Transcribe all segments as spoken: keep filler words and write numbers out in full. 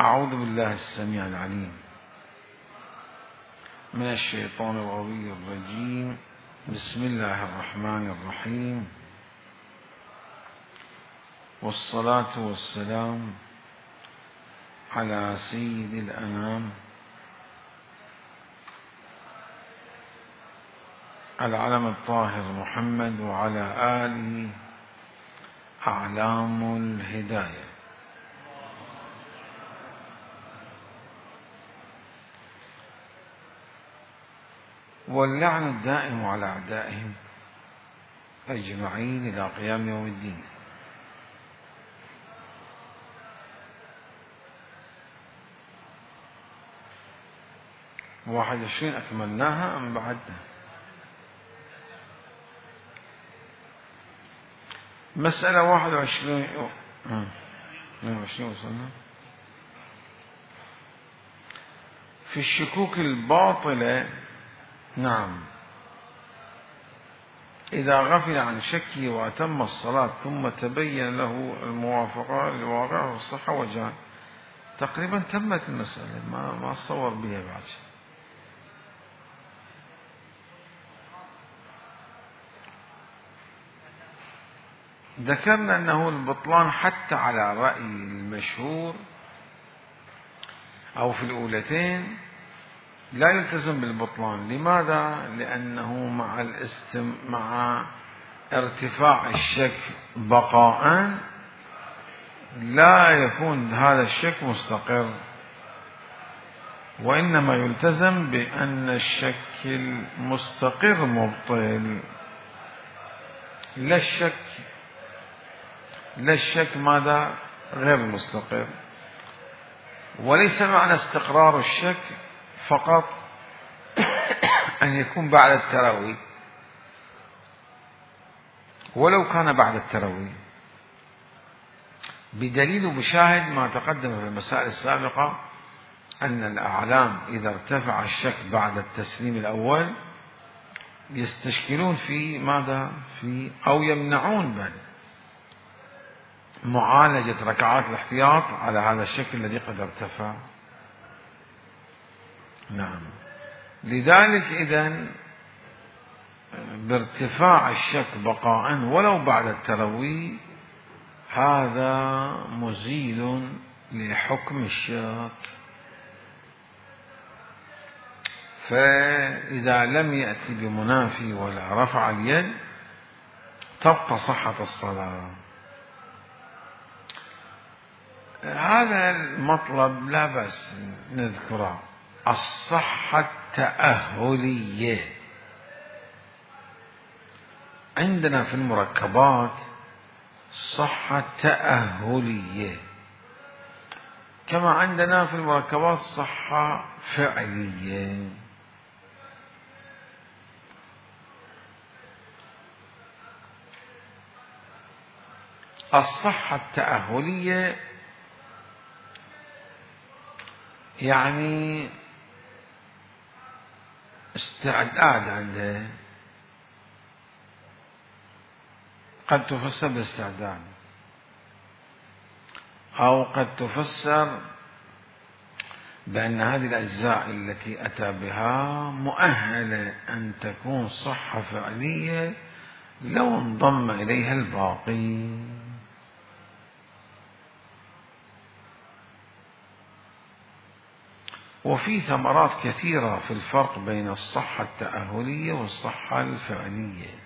أعوذ بالله السميع العليم من الشيطان الغوي الرجيم. بسم الله الرحمن الرحيم، والصلاة والسلام على سيد الأنام العلم الطاهر محمد وعلى آله أعلام الهداية. واللعن الدائم على أعدائهم أجمعين إلى قيام يوم الدين. واحد وعشرين أكملناها أم بعدنا؟ مسألة واحد وعشرين اثنين وعشرين وصلنا في الشكوك الباطلة. نعم، إذا غفل عن شكه وأتم الصلاة ثم تبين له الموافقة للواقع والصحة وجهان، تقريبا تمت المسألة، ما ما أتصور بها بعد شيء. ذكرنا أنه البطلان حتى على رأي المشهور أو في الأولتين لا يلتزم بالبطلان. لماذا؟ لأنه مع الاستم... مع ارتفاع الشك بقاء لا يكون هذا الشك مستقر، وإنما يلتزم بأن الشك المستقر مبطل. لا الشك لا الشك ماذا؟ غير مستقر. وليس معنى استقرار الشك فقط أن يكون بعد التروي، ولو كان بعد التروي، بدليل وبشاهد ما تقدم في المسائل السابقة أن الأعلام إذا ارتفع الشك بعد التسليم الأول يستشكلون في ماذا؟ في أو يمنعون بل معالجة ركعات الاحتياط على هذا الشك الذي قد ارتفع. نعم، لذلك إذن بارتفاع الشك بقاء ولو بعد التروي هذا مزيل لحكم الشك. فإذا لم يأتي بمنافي ولا رفع اليد تبقى صحة الصلاة. هذا المطلب لا بأس نذكره، الصحة التأهلية. عندنا في المركبات صحة تأهلية، كما عندنا في المركبات صحة فعلية. الصحة التأهلية يعني استعداد عندها، قد تفسر بالاستعداد أو قد تفسر بأن هذه الأجزاء التي أتى بها مؤهلة أن تكون صحة فعلية لو انضم إليها الباقي. وفي ثمرات كثيرة في الفرق بين الصحة التأهلية والصحة الفعلية.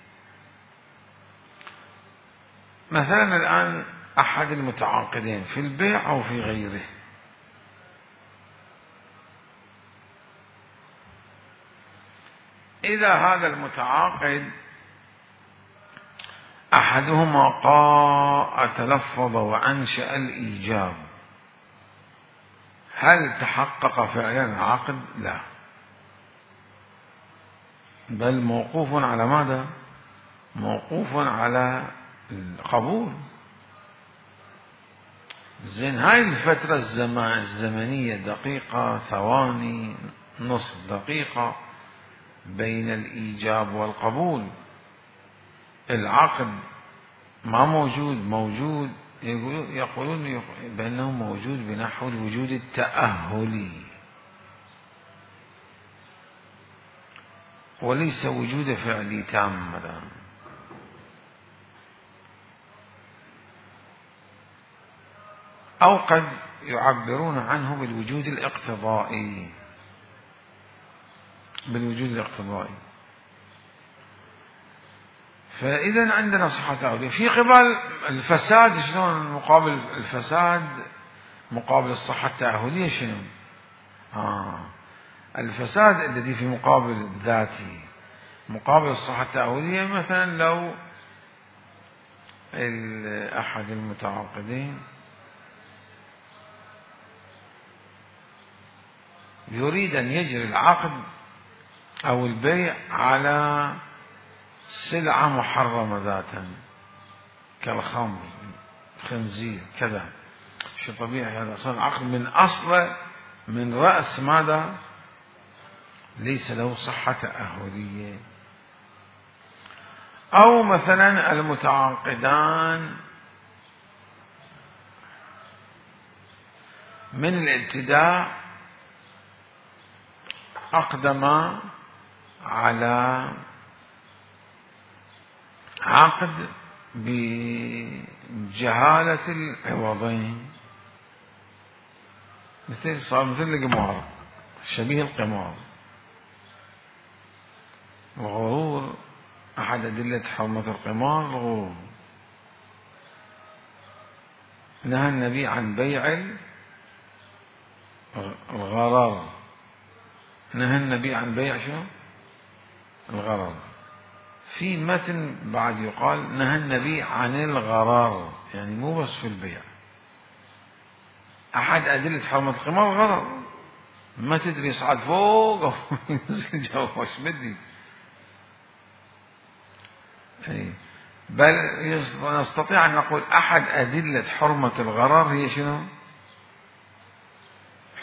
مثلا الآن أحد المتعاقدين في البيع أو في غيره إذا هذا المتعاقد أحدهما قاء تلفظ وأنشأ الإيجاب، هل تحقق فعلا العقد؟ لا، بل موقوف على ماذا؟ موقوف على القبول. زين، هاي الفترة الزمنية دقيقة، ثواني، نصف دقيقة بين الإيجاب والقبول، العقد ما موجود، موجود يقولون بأنه موجود بنحو الوجود التأهلي وليس وجود فعلي تام. أو قد يعبرون عنه بالوجود الاقتضائي، بالوجود الاقتضائي. فإذا عندنا صحة تأهلية. في قبل الفساد، شلون مقابل الفساد مقابل الصحة التأهلية شنو؟ آه الفساد الذي في مقابل الذاتي مقابل الصحة التأهلية. مثلا لو أحد المتعاقدين يريد أن يجري العقد أو البيع على سلعة محرمة ذاتا كالخمر، خنزير، كذا، شو طبيعي هذا أصلا عقد من أصله من رأس ماذا؟ ليس له صحة تأهلية. أو مثلا المتعاقدان من الابتداء أقدما على عقد بجهالة العوضين، مثل صار مثل القمار، شبيه القمار. الغرور أحد أدلة حرمة القمار الغرور. نهى النبي عن بيع الغرر، نهى النبي عن بيع شو؟ الغرر. في متن بعد يقال نهى النبي عن الغرر، يعني مو بس في البيع. أحد أدلة حرمة القمار الغرر، ما تدري يصعد فوق أو ينزل جوا، وش بدي. بل نستطيع أن نقول أحد أدلة حرمة الغرر هي شنو؟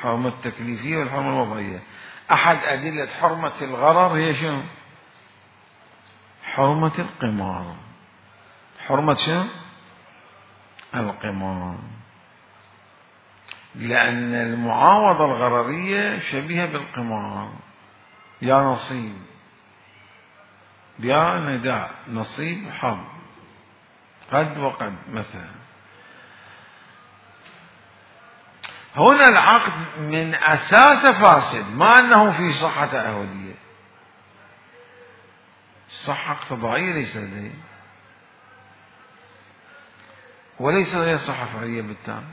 حرمة التكليفية والحرمة الوضعية. أحد أدلة حرمة الغرر هي شنو؟ حرمة القمار. حرمة شنو؟ القمار. لأن المعاوضة الغررية شبيهة بالقمار، يا نصيب يا نداء، نصيب وحظ، قد وقد مثلا. هنا العقد من أساس فاسد، ما أنه في صحة تأهلية، صحة اقتضائية ليس لديه، وليس لديه صحة فعلية بالتالي.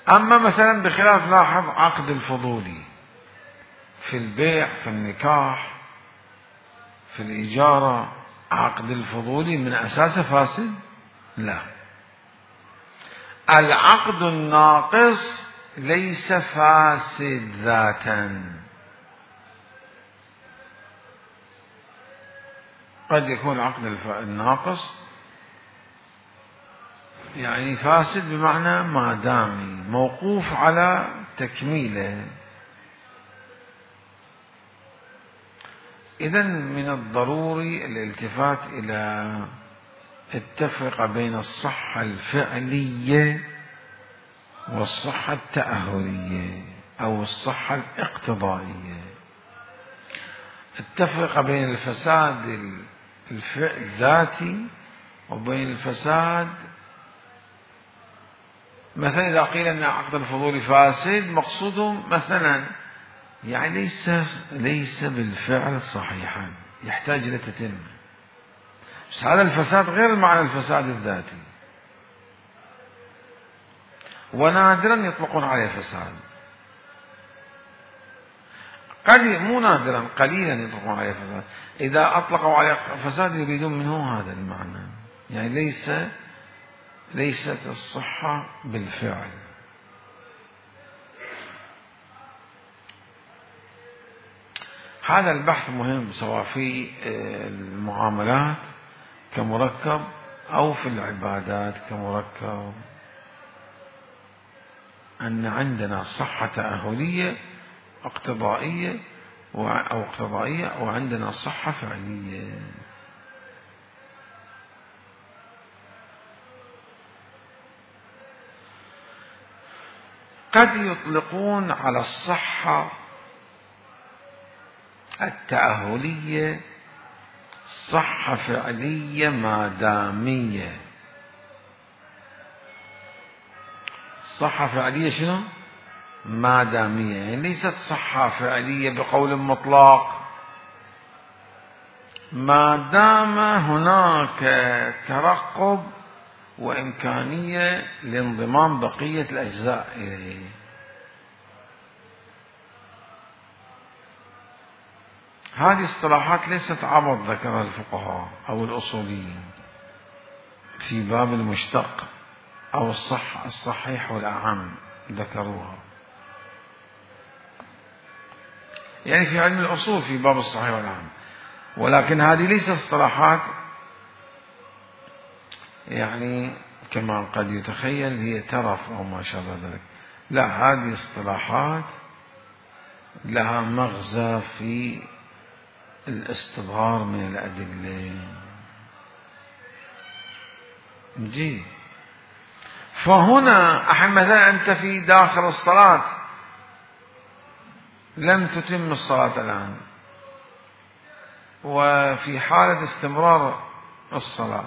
أما مثلا بخلاف لاحظ عقد الفضولي في البيع، في النكاح، في الإجارة، عقد الفضولي من أساسه فاسد؟ لا. العقد الناقص ليس فاسد ذاتا، قد يكون العقد الناقص يعني فاسد بمعنى ما دامي موقوف على تكميله. إذن من الضروري الالتفات إلى التفرقة بين الصحة الفعلية والصحة التأهلية أو الصحة الاقتضائية. التفرقة بين الفساد الذاتي وبين الفساد، مثلا إذا قيل أن عقد الفضول فاسد، مقصوده مثلا يعني ليس ليس بالفعل صحيحا، يحتاج إلى تتمة. بس هذا الفساد غير معنى الفساد الذاتي، ونادرا يطلقون عليه فساد، قد مو نادرا قليلا يطلقون عليه فساد. إذا أطلقوا عليه فساد يريدون منه هذا المعنى، يعني ليس ليست الصحة بالفعل. هذا البحث مهم سواء في المعاملات كمركب أو في العبادات كمركب، أن عندنا صحة تأهلية اقتضائية أو اقتضائية، وعندنا صحة فعلية. قد يطلقون على الصحة التأهلية صحة فعلية مادامية. صحة فعلية شنو؟ مادامية، يعني ليست صحة فعلية بقول مطلق، ما دام هناك ترقب وإمكانية لانضمام بقية الأجزاء إليه. هذه اصطلاحات ليست عبط ذكرها الفقهاء أو الأصوليين في باب المشتق أو الصح الصحيح والأعم ذكروها، يعني في علم الأصول في باب الصحيح والأعم، ولكن هذه ليست اصطلاحات يعني كما قد يتخيل هي ترف أو ما شابه ذلك، لا، هذه اصطلاحات لها مغزى في الاستظهار من الأدلة. جي فهنا مثلا أنت في داخل الصلاة لم تتم الصلاة الآن، وفي حالة استمرار الصلاة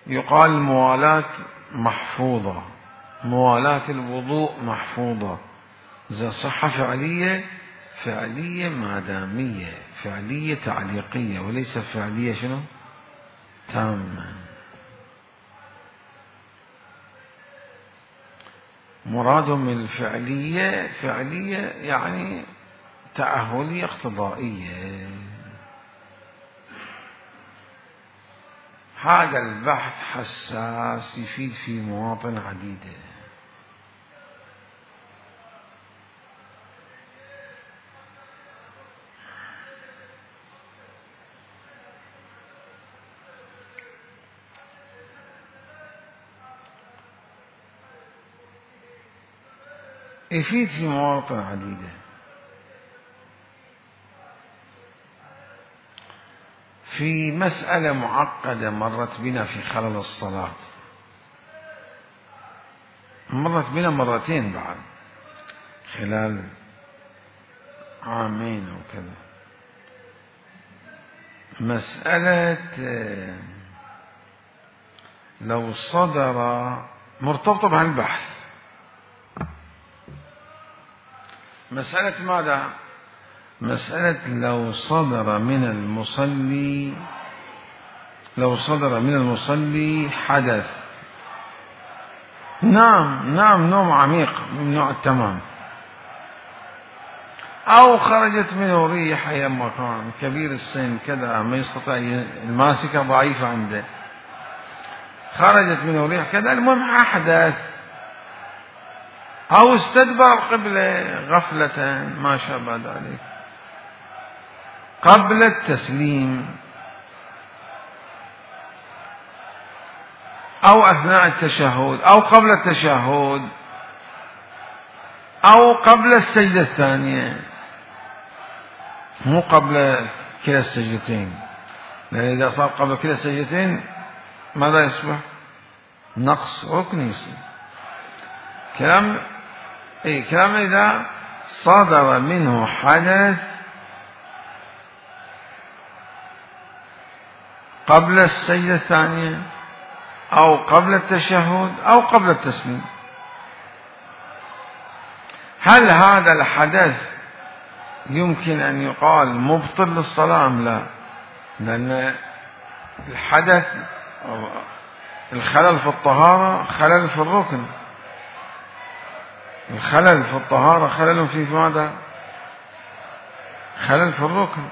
يقال الموالاة محفوظة، موالاة الوضوء محفوظة، إذا صحة فعلية فعلية مادامية، فعلية تعليقية وليس فعلية شنو؟ تامة. مرادهم من الفعلية فعلية يعني تأهلية اقتضائية. هذا البحث حساس يفيد في مواطن عديدة. يفيد في مواطن عديدة. في مسألة معقدة مرت بنا في خلل الصلاة، مرت بنا مرتين بعد خلال عامين أو كذا، مسألة لو صدر مرتبطة بهالبحث، مسألة ماذا؟ مسألة لو صدر من المصلي لو صدر من المصلي حدث، نام نام نوم عميق من نوع التمام، أو خرجت منه ريح أي مكان، كبير السن كذا ما يستطيع، الماسكة ضعيفة عنده، خرجت منه ريح كذا، المهم أحدث، أو استدبر القبلة غفلة ما شابه ذلك قبل التسليم أو أثناء التشهد أو قبل التشهد أو قبل السجدة الثانية، مو قبل كلا السجدتين، لأن إذا صار قبل كلا السجدتين ماذا يصبح؟ نقص ركن يصير. كلام إيه كلام إذا صدر منه حدث قبل السجدة الثانية أو قبل التشهد أو قبل التسليم، هل هذا الحدث يمكن أن يقال مبطل للصلاة أم لا؟ لأن الحدث الخلل في الطهارة خلل في الركن، الخلل في الطهارة خلل في ماذا؟ خلل في الركن.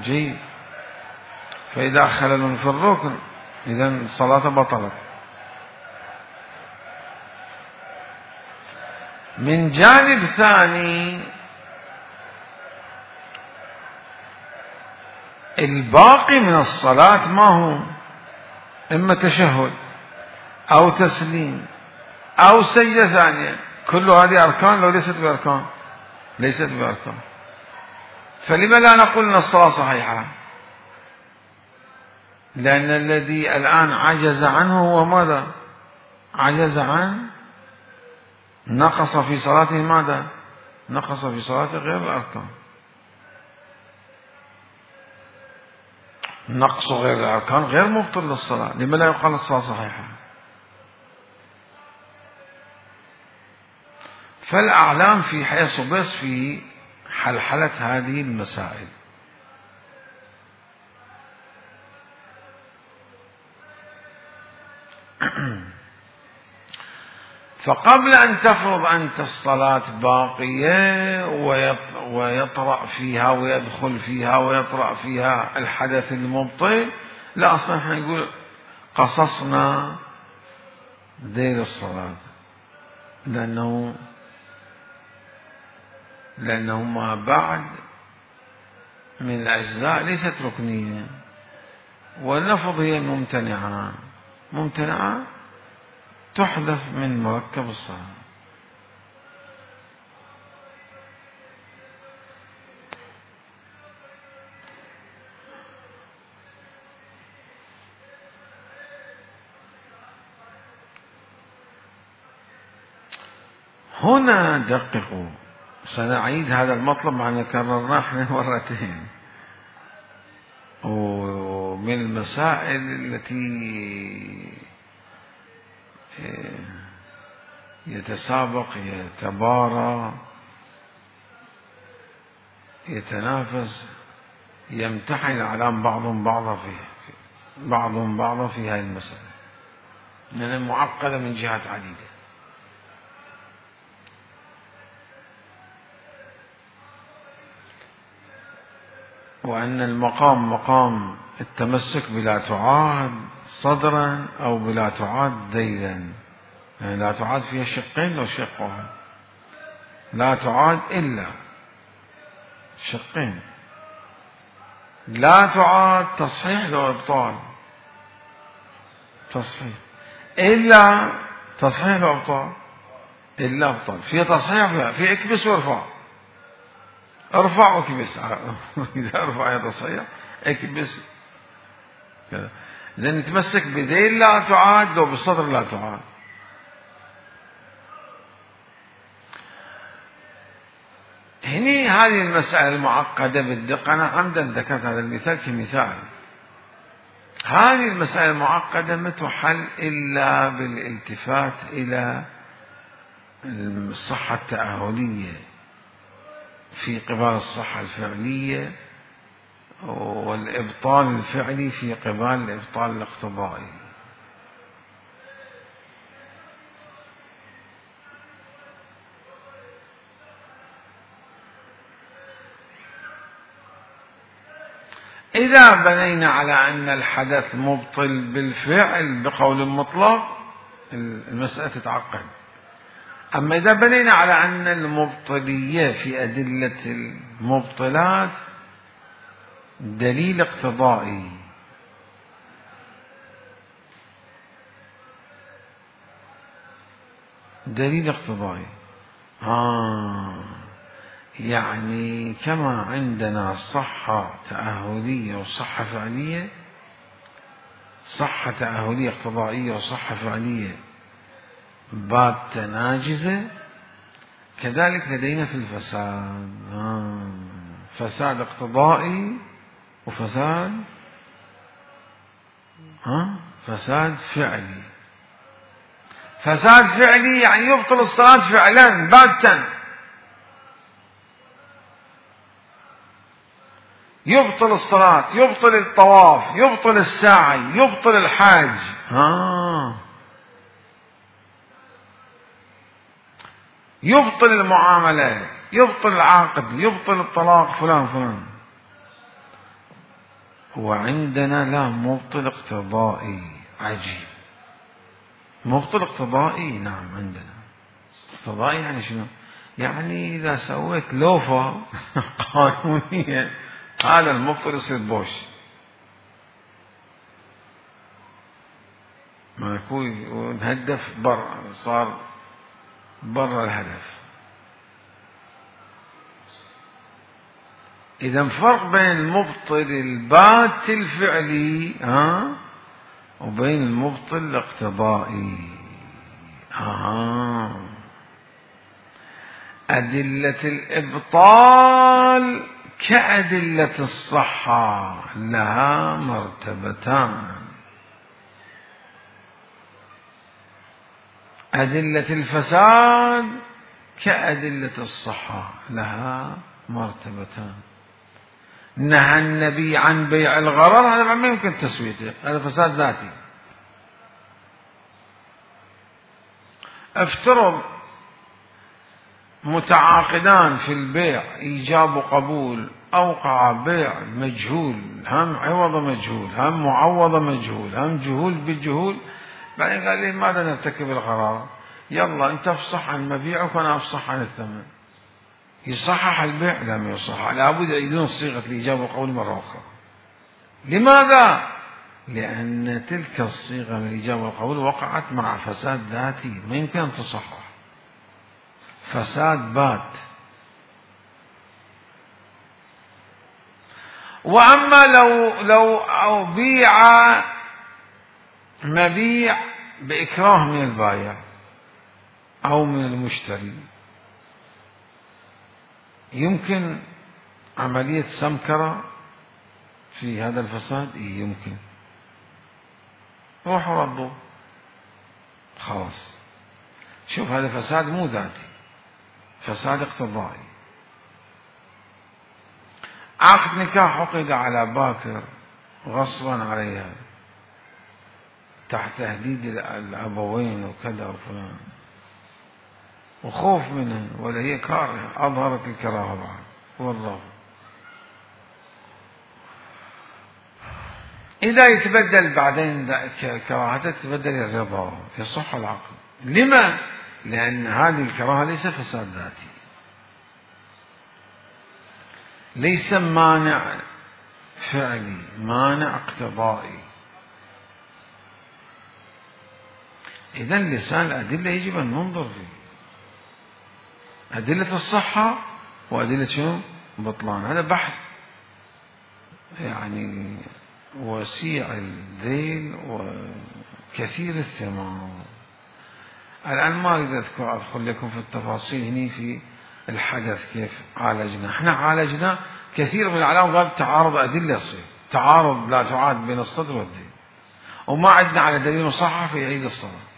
جيد، فإذا خلل في الركن إذا الصلاة بطلت. من جانب ثاني الباقي من الصلاة ما هو؟ إما تشهد أو تسليم أو سجدة ثانية، كل هذه أركان لو ليست بأركان، ليست بأركان، فلما لا نقول أن الصلاة صحيحة؟ لأن الذي الآن عجز عنه هو ماذا؟ عجز عن نقص في صلاته ماذا؟ نقص في صلاته غير الأركان. نقص غير الأركان غير مبطل للصلاة. لما لا يقال الصلاة صحيحة؟ فالأعلام في حيث بس في حلحلة هذه المسائل. فقبل أن تفرض أنت الصلاة باقية ويطرأ فيها ويدخل فيها ويطرأ فيها الحدث المبطل، لا، أصلا احنا نقول قصصنا دير الصلاة، لأنه لأنه ما بعد من الأجزاء ليست ركنية، واللفظ هي ممتنعة. ممتنعة تحذف من مركب الصلاة. هنا دققوا، سنعيد هذا المطلب مع أن كررناه احنا مرتين، ومن المسائل التي يتسابق يتبارى يتنافس يمتحن الأعلام بعضهم بعضا فيه بعضهم بعضا في هذه المسألة، لأنها معقدة من جهات عديدة. وأن المقام مقام التمسك بلا تعاد صدرا أو بلا تعاد ذيلا، يعني لا تعاد فيها شقين لو شق واحد، لا تعاد إلا شقين، لا تعاد تصحيح لو إبطال، تصحيح إلا تصحيح لو إبطال، إلا إبطال، في تصحيح فيها في اكبس وارفع، ارفع واكبس إذا ارفع يا تصحيح اكبس كذا. زين نتمسك بذيل لا تعاد لو بالصدر لا تعاد. هني هذه المسألة المعقدة بالدقة، أنا عمدا ذكرت هذا المثال كمثال. هذه المسألة المعقدة ما تحل إلا بالالتفات إلى الصحة التأهلية في قبال الصحة الفعلية، والإبطال الفعلي في قبال الإبطال الاقتضائي. إذا بنينا على أن الحدث مبطل بالفعل بقول مطلق المسألة تتعقد. أما إذا بنينا على أن المبطلية في أدلة المبطلات دليل اقتضائي، دليل اقتضائي آه يعني كما عندنا صحة تأهلية وصحة فعلية، صحة تأهلية اقتضائية وصحة فعلية باتة ناجزة، كذلك لدينا في الفساد آه فساد اقتضائي وفساد ها فساد فعلي. فساد فعلي يعني يبطل الصلاة فعلا باتا، يبطل الصلاة، يبطل الطواف، يبطل السعي، يبطل الحاج ها يبطل المعاملة، يبطل العقد، يبطل الطلاق فلان فلان. وعندنا لا مبطل اقتضائي. عجيب، مبطل اقتضائي نعم عندنا. اقتضائي يعني شنو؟ يعني إذا سويت لوفة قانونية هذا المبطل يصير بوش، ما يكون ونهدف برا، صار برا الهدف. إذا فرق بين المبطل البات الفعلي ها وبين المبطل الاقتضائي. آه. أدلة الإبطال كأدلة الصحة لها مرتبتان. أدلة الفساد كأدلة الصحة لها مرتبتان. نهى النبي عن بيع الغرر، هذا ما يمكن تسويته، هذا فساد ذاتي. افترض متعاقدان في البيع إيجاب وقبول، أوقع بيع مجهول، هم عوض مجهول، هم معوض مجهول، هم جهول بجهول، بعدين قال لي ماذا نرتكب الغرار؟ يلا أنت افصح عن مبيعك وأنا افصح عن الثمن. يصحح البيع؟ لا ما يصحح، لابد يعيدون صيغة الإيجاب والقبول مرة أخرى. لماذا؟ لأن تلك الصيغة من الإيجاب والقبول وقعت مع فساد ذاتي، ما يمكن أن تصحح، فساد بات. وأما لو لو أو بيع مبيع بإكراه من البائع أو من المشتري، يمكن عملية سمكرة في هذا الفساد؟ يمكن. روحوا ردوا خلاص. شوف هذا فساد مو ذاتي، فساد اقتضائي. عقد نكاح عقد على باكر غصبا عليها تحت تهديد الأبوين وكذا وفلان وخوف منها، ولا هي كارهة، أظهرت الكراهة بعد والله. إذا يتبدل بعدين كراهته تتبدل الرضا، يصح العقد. لما؟ لأن هذه الكراهة ليس فساد ذاتي، ليس مانع فعلي، مانع اقتضائي. إذا لسان الأدلة يجب أن ننظر فيه، أدلة الصحة وأدلة شنو؟ بطلان. هذا بحث يعني وسيع الذيل وكثير الثمار. الآن ما أريد أذكر أدخل لكم في التفاصيل هني في الحدث كيف عالجنا. احنا عالجنا كثير من العلماء قال تعارض أدلة يصير، تعارض لا تعاد بين الصدر والدين، وما عندنا على دليل مصحح فيعيد الصلاة.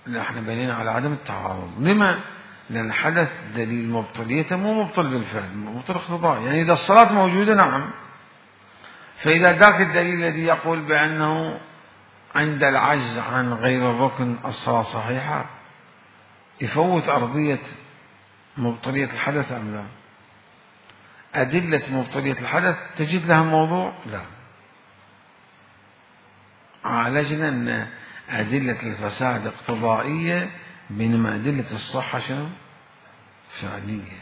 لا، احنا بنينا على عدم التعارض. لما؟ لأن حدث دليل مبطليته مو مبطل بالفعل، مبطل اقتضائي. يعني إذا الصلاة موجودة نعم، فإذا ذاك الدليل الذي يقول بأنه عند العجز عن غير الركن الصلاة صحيحة يفوت أرضية مبطلية الحدث أم لا؟ أدلة مبطلية الحدث تجد لها موضوع؟ لا. عالجنا أن أدلة الفساد اقتضائية بينما أدلة الصحة شنو؟ فعلية.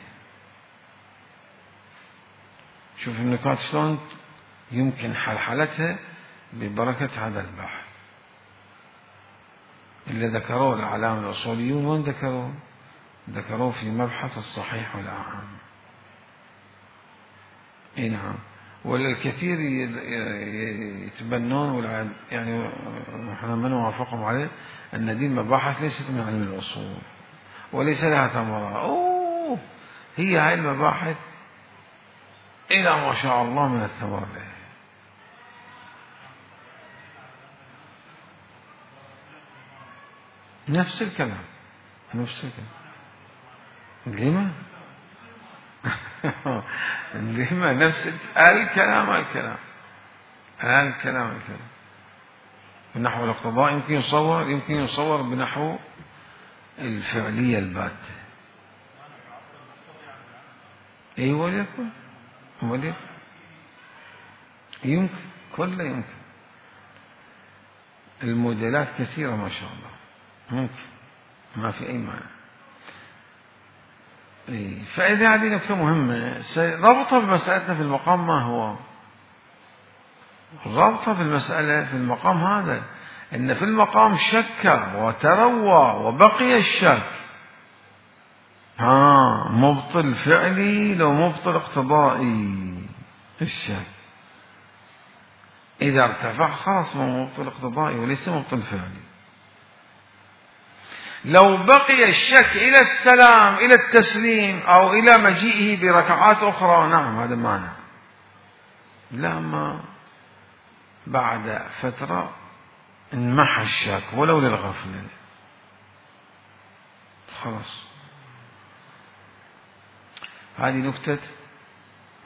شوف النقاط شلون يمكن حلحلتها ببركة هذا البحث اللي ذكروه الأعلام الأصوليون. وين ذكروه؟ ذكروه في مبحث الصحيح والأعم. اي نعم. والكثير يتبنون يعني نحن من وافقهم عليه أن دي المباحث ليست من علم الأصول وليس لها ثمرة. أوه هي هاي المباحث إلى ما شاء الله من الثمرة لها. نفس الكلام نفس الكلام. لما؟ لما نفس الكلام الكلام الكلام الكلام بنحو الاقتضاء يمكن يصور يمكن يصور بنحو الفعلية الباتة. اي وليكن وليكن يمكن كله يمكن. الموديلات كثيرة ما شاء الله، ممكن ما في أي معنى. إيه. فإذا هذه نقطة مهمة ربطها بمسألتنا في المقام. ما هو ربطها في المسألة في المقام هذا؟ إن في المقام شك وتروى وبقي الشك. ها مبطل فعلي لو مبطل اقتضائي الشك. إذا ارتفع خلاص ما مبطل اقتضائي وليس مبطل فعلي. لو بقي الشك إلى السلام إلى التسليم أو إلى مجيئه بركعات أخرى نعم هذا مانع. لما بعد فترة انمحى الشك ولو للغفلة خلاص. هذه نكتة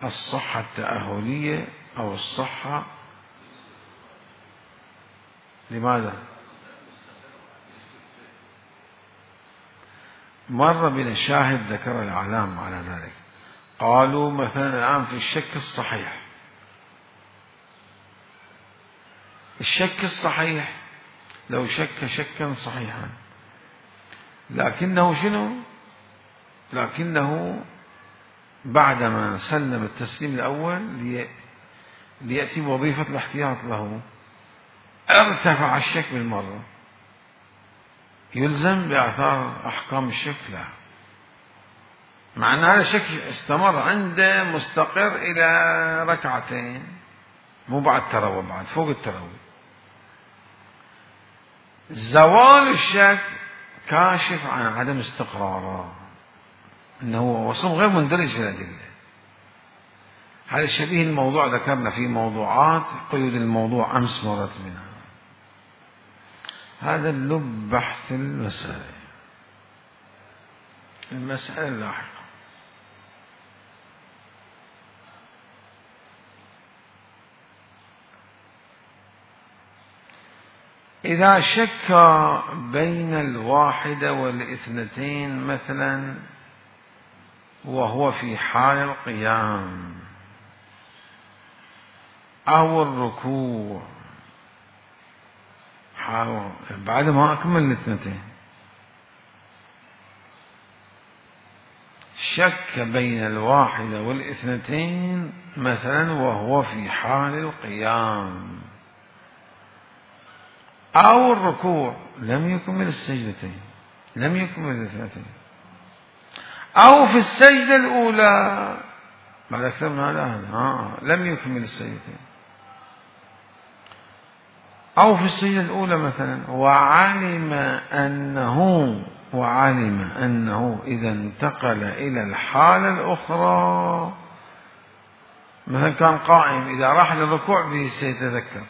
الصحة التأهلية أو الصحة. لماذا؟ مر بنا شاهد ذكر الأعلام على ذلك. قالوا مثلا الآن في الشك الصحيح، الشك الصحيح لو شك شكا صحيحا لكنه شنو؟ لكنه بعدما سلم التسليم الأول ليأتي بوظيفة الاحتياط له ارتفع الشك بالمرة، يلزم بآثار أحكام الشك؟ لا، مع أن هذا الشك استمر عنده مستقر إلى ركعتين، مو بعد تروى، بعد فوق التروي. زوال الشك كاشف عن عدم استقراره، أنه وصف غير مندرج في الأدلة. هذا شبيه الموضوع ذكرنا في موضوعات قيود الموضوع أمس مرت منها. هذا اللب بحث المسألة المسألة اللاحقة. إذا شك بين الواحدة والاثنتين مثلا وهو في حال القيام أو الركوع بعد ما أكمل الاثنتين، شك بين الواحدة والاثنتين مثلا وهو في حال القيام أو الركوع، لم يكمل السجدتين، لم يكمل الاثنتين، أو في السجدة الأولى بعد أكثر من هذا آه. لم يكمل السجدتين، أو في السجدة الأولى مثلا وعلم أنه وعلم أنه إذا انتقل إلى الحالة الأخرى، مثلا كان قائم إذا راح للركوع سيتذكر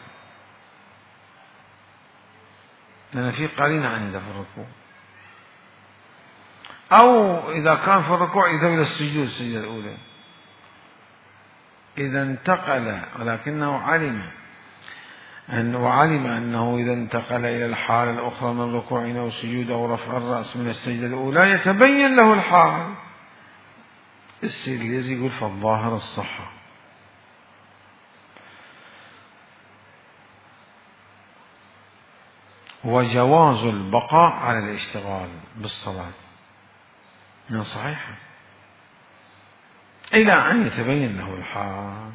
لأن في قرينة عنده في الركوع، أو إذا كان في الركوع يذهب إلى السجود السجدة الأولى، إذا انتقل ولكنه علم أن وعلم أنه إذا انتقل إلى الحالة الأخرى من الركوع أو السجود أو رفع الرأس من السجدة الأولى يتبين له الحال. السيد اليزي يقول فالظاهر الصحة. وجواز البقاء على الاشتغال بالصلاة من صحيحة إلى أن يتبين له الحال.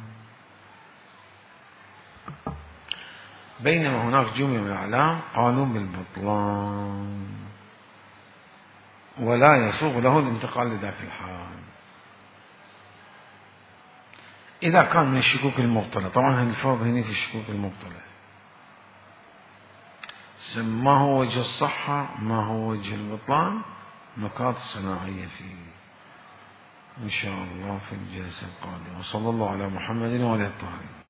بينما هناك جملة من الأعلام قالوا بالبطلان ولا يسوغ له الانتقال لذاك الحال إذا كان من الشكوك المبطلة. طبعا هذا الفرض هنا في الشكوك المبطلة، ما هو وجه الصحة ما هو وجه البطلان، نقاط صناعية فيه إن شاء الله في الجلسة القادمة. وصلى الله على محمد وعلى آله الطاهرين.